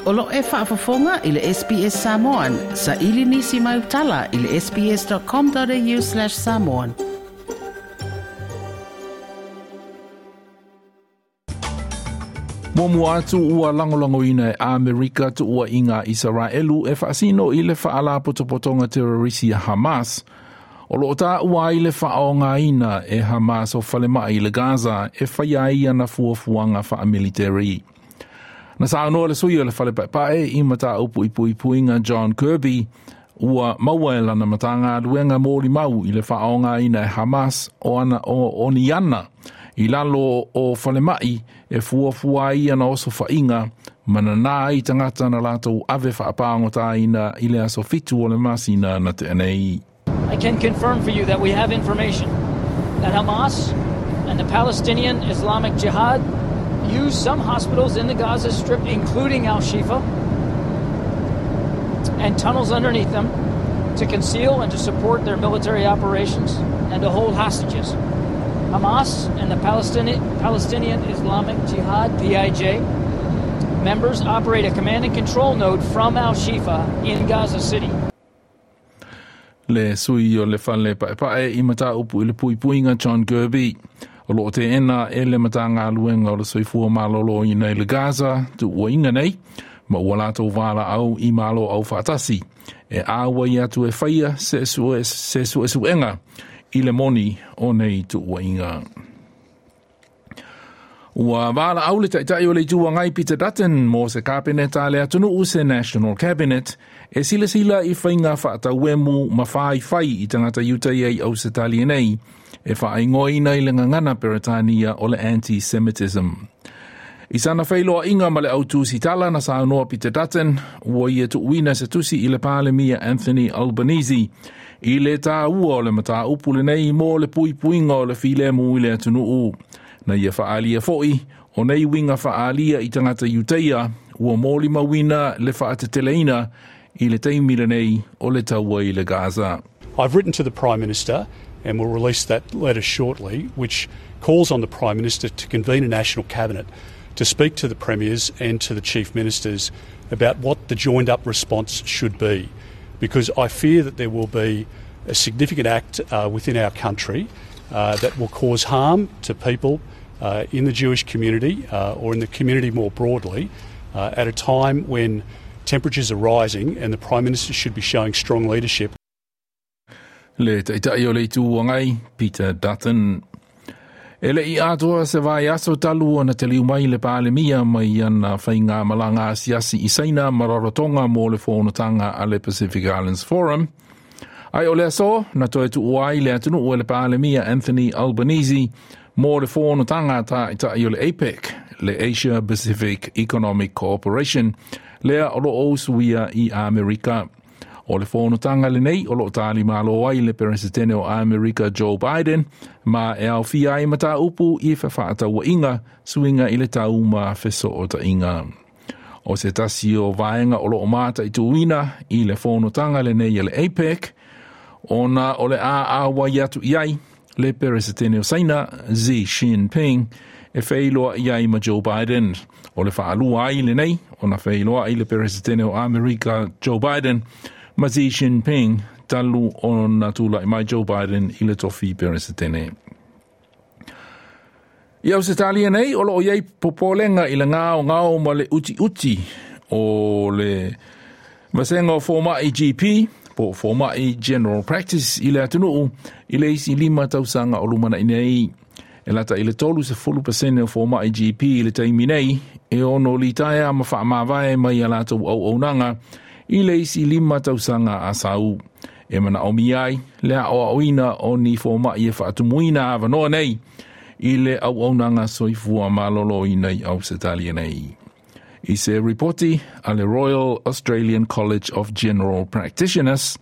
O lo e faafofoga i le SBS Samoan. Sa ili nisi mai utala i le sbs.com.au/samoan. Muamua atu ua lagolagoina e Amerika tuuaiga Isaraelu e faasino i le faalapotopotoga terorisi a Hamas. O loo taua ai le faaaogaina e Hamas o falemai i le Gaza e faia ai ana fuafuaga faamiliteri. Na saunoa le sui o le fale paepae i mataupu i puipuiga John Kirby ua maua e lana Matagaluega molimau i le faaaogaina e Hamas o ana o ni ana i lalo o falemai e fuafua ai ana osofaiga ma nanā ai tagata na latou ave faapagota i le aso 7 o le masina na tea nei. I can confirm for you that we have information that Hamas and the Palestinian Islamic Jihad use some hospitals in the Gaza Strip, including Al-Shifa, and tunnels underneath them to conceal and to support their military operations and to hold hostages. Hamas and the Palestinian Islamic Jihad, PIJ, members operate a command and control node from Al-Shifa in Gaza City. Le sui o le fale paepae i mataupu i le puipuiga John Kirby. O loo teena e le Matagaluega o le Soifua Maloloina i le Gaza tuuaiga nei, ma ua latou valaau i Malo Aufaatasi e auai atu e faia se suesuega i le moni o nei tuuaiga. Ua valaau le taitai o le Itu Agai Peter Dutton mo se kapeneta a le atunuu se National Cabinet e silasila i faiga faatauemu ma faifai i tagata Iutaia i Ausetalia nei e faaigoaina i le gagana Peretania o le anti-Semitism. I sana feiloaiga ma le au tusitala na saunoa Peter Dutton ua ia tuuina se tusi i le Palemia Anthony Albanese i le taua o le mataupu lenei mo le puipuiga o le filemu i le atunuu. Na ia faaalia foi o nei uiga faaalia i tagata Iutaia ua molimauina le faateteleina i le taimi lenei o le taua i le Gaza. I've written to the Prime Minister and will release that letter shortly, which calls on the Prime Minister to convene a national cabinet to speak to the Premiers and to the Chief Ministers about what the joined-up response should be, because I fear that there will be a significant act within our country that will cause harm to people in the Jewish community or in the community more broadly at a time when temperatures are rising and the Prime Minister should be showing strong leadership. Le taitai o le Itu Agai, Peter Dutton. E le i atoa se vaiaso talu ona taliu mai le Palemia mai ana faigamalaga asiasi i Saina ma Rarotonga mo le fonotaga a le Pacific Islands Forum. Ai o le aso, na toe tuua ai le atunuu e le Palemia Anthony Albanese mo le fonotaga a taitai o le APEC, le Asia Pacific Economic Cooperation, lea o loo usuia i Amerika. O le fonotaga lenei o loo talimalo ai le Peresetene o Amerika Joe Biden ma e aofia ai mataupu i fefaatauaiga suiga i le tau ma fesootaiga. O se tasi o vaega o loo mataituina i le fonotaga lenei e le APEC, ona o le a auai atu i ai le Peresetene o Saina Xi Jinping e feiloai ai ma Joe Biden. O le faalua ai lenei ona feiloai le Peresetene o Amerika Joe Biden ma Xi Jinping talu ona tulai mai Joe Biden i le tofi Peresetene. I Ausetalia nei, o loo iai popolega i le gaogao ma le utiuti o le vasega o fomai GP, po o fomai General Practice i le atunuu i le isi 5 tausaga o lumanai nei. E lata i le 30% o fomai GP i le taimi nei, e ono litaea ma faamavae mai a latou auaunaga i le isi 5 tausaga a sau. E manaomia ai le aoaoina o ni fomai e faatumuina avanoa nei i le auaunaga soifua maloloina i Ausetalia nei. I se ripoti a le Royal Australian College of General Practitioners,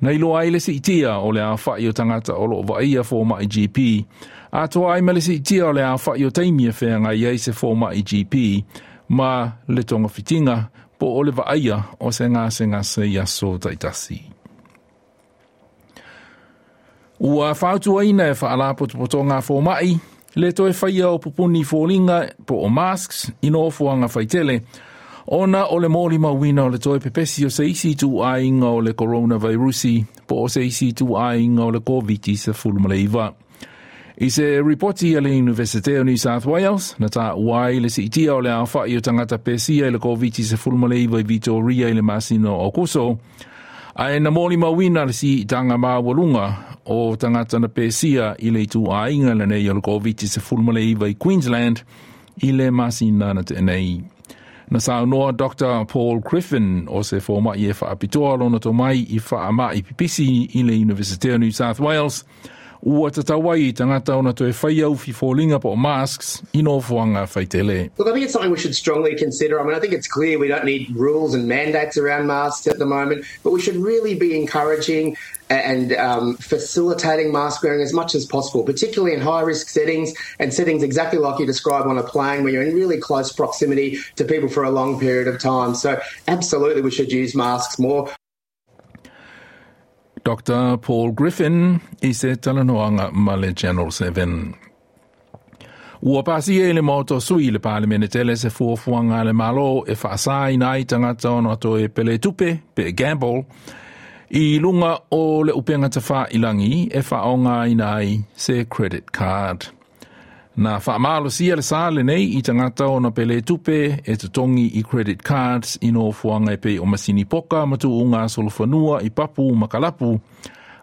na iloa ai le siitia o le aofai o tagata o loo vaaia fomai GP, atoa ai ma le siitia o le aofai o taimi e feagai ai se fomai GP ma le togafitiga po o le vaaia o se gasegase i aso taitasi. Ua fautuaina e faalapotopotoga fomai le toe faia o pupuni foliga po o masks i nofoaga faitele Ona o le molimauina o le toe pepesi o se isi ituaiga o le koronavairusi po o se isi ituaiga o le Koviti-19. I se ripoti a le Iunivesite o New South Wales, na taua ai le siitia o le aofai o tagata pesia i le Koviti-19 i Vitoria i le masina o Aokuso, ae na molimauina le siitaga maualuga o tagata na pesia i le ituaiga lenei o le Koviti-19 i Queensland i le masina na tea nei. Na saunoa Doctor Paul Griffin o se fomai e faapitoa lona tomai i faamai pipisi i le Iunivesite o New South Wales, ua tatau ai i tagata ona toe faia ufi foliga po o masks i nofoaga faitele. Look, I think it's something we should strongly consider. I mean, I think it's clear we don't need rules and mandates around masks at the moment, but we should really be encouraging and facilitating mask wearing as much as possible, particularly in high-risk settings and settings exactly like you describe on a plane where you're in really close proximity to people for a long period of time. So absolutely we should use masks more. Doctor Paul Griffin i se talanoaga ma le Channel 7. Ua pasia i le Maota o Sui i le Palemene tele se fuafuaga a le Malo e faasāina ai tagata ona toe pele tupe, pe gamble, i luga o le upega tafailangi e faaaogaina ai se credit card. Na faamalosia le sa lenei i tagata ona pele tupe e totogi i credit cards i nofoaga e pei o masini poka ma tuuga solofanua i papu ma kalapu,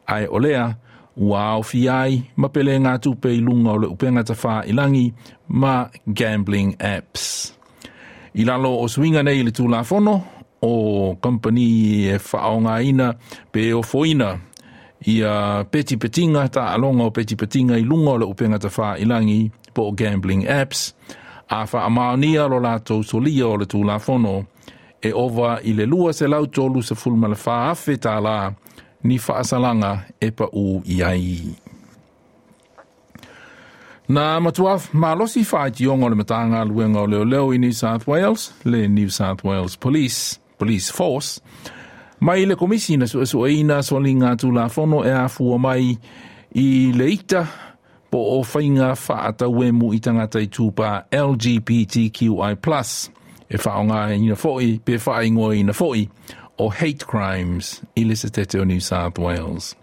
ae o lea ua aofia ai ma pelegatupe i luga o le upega tafailangi ma gambling apps. I lalo o suiga nei i le Tulafono, o kamupani e faaaogaina pe ofoina ia petipetiga, taaloga o petipetiga i luga o le upega tafailangi po o gambling apps, a faamaonia lo latou solia o le Tulafono e ova i le $234,000 ni faasalaga e paū i ai. Na matua malosi faitioga o le Matagaluega o Leoleo i New South Wales, le New South Wales Police, Police Force, mai le komisi na suesueina soliga tulafono e afua mai i le ita po o faiga faatauemu i tagata i tūpā LGBTQI+, e faaaogaina foi pe faaigoaina foi o hate crimes i le Setete o New South Wales.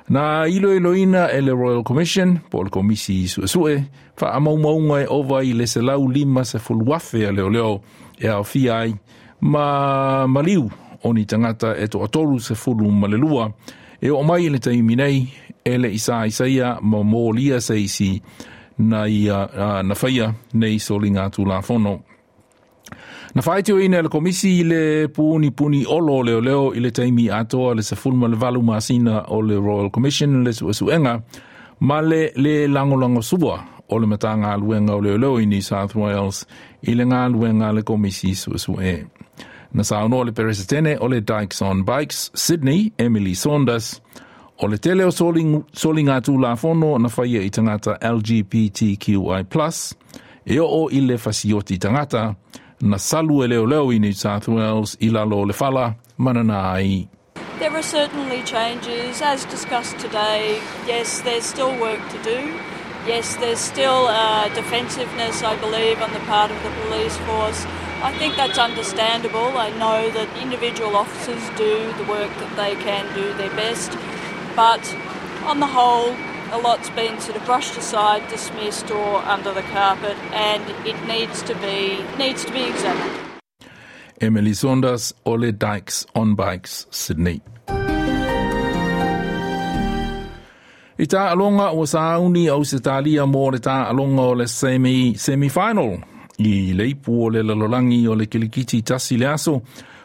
Na iloiloina e le Royal Commission, po o le Komisi Suesue, faamaumauga e ova i le 150,000 a leoleo e aofia ai ma maliu o ni tagata e 32 e oo mai i le taimi nei e le i saisaia ma molia se isi na ia na faia nei soliga tulafono. Na faitioina e le Komisi le punipuni olo o leoleo i le taimi atoa le 18 masina o le Royal Commission le suesuega ma le lē lagolagosua o le Matagaluega o Leoleo i New South Wales i le galuega a le Komisi Suesue. Na saunoa le Peresetene o le Dykes on Bikes, Sydney, Emily Saunders, o le tele o soligatulafono na faia i tagata LGBTQI+, e oo i le fasioti tagata, na salu e leoleo i New South Wales i lalo o le fala ma nana ai. There are certainly changes, as discussed today. Yes, there's still work to do. Yes, there's still defensiveness, I believe, on the part of the police force. I think that's understandable. I know that individual officers do the work that they can do their best. But on the whole, a lot's been sort of brushed aside, dismissed or under the carpet, and it needs to be, needs to be examined. Emily Saunders o le Dykes on Bikes, Sydney. I taaloga ua sauni Ausetalia mo le taaloga o le semi, semi-final i le ipu o le lalolagi o le kilikiti tasi le aso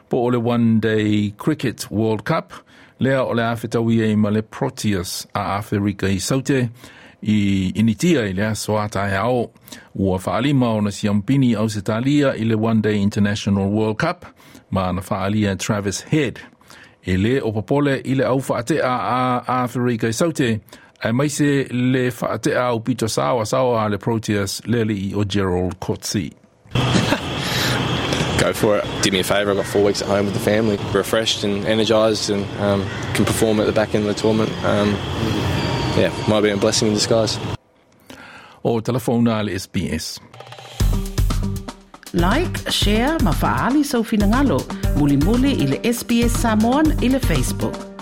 po o le One Day Cricket World Cup lea o le a fetaui ai ma le Proteas a Aferika i Saute i Initia i le aso a taeao. Ua faalima ona siampini Ausetalia i le One Day International World Cup ma na faaalia Travis Head. E lē o popole i le au faatea a Aferika i Saute aemaise le faatea aupito saoasaoa a le Proteas le alii o Gerald Coetzee. Go for it. Did me a favour. I've got 4 weeks at home with the family, refreshed and energised, and can perform at the back end of the tournament. Yeah, might be a blessing in disguise. O telefona a le SBS. Like, share ma fa'aali sou finagalo. Mulimuli i le SBS Samoan i le Facebook.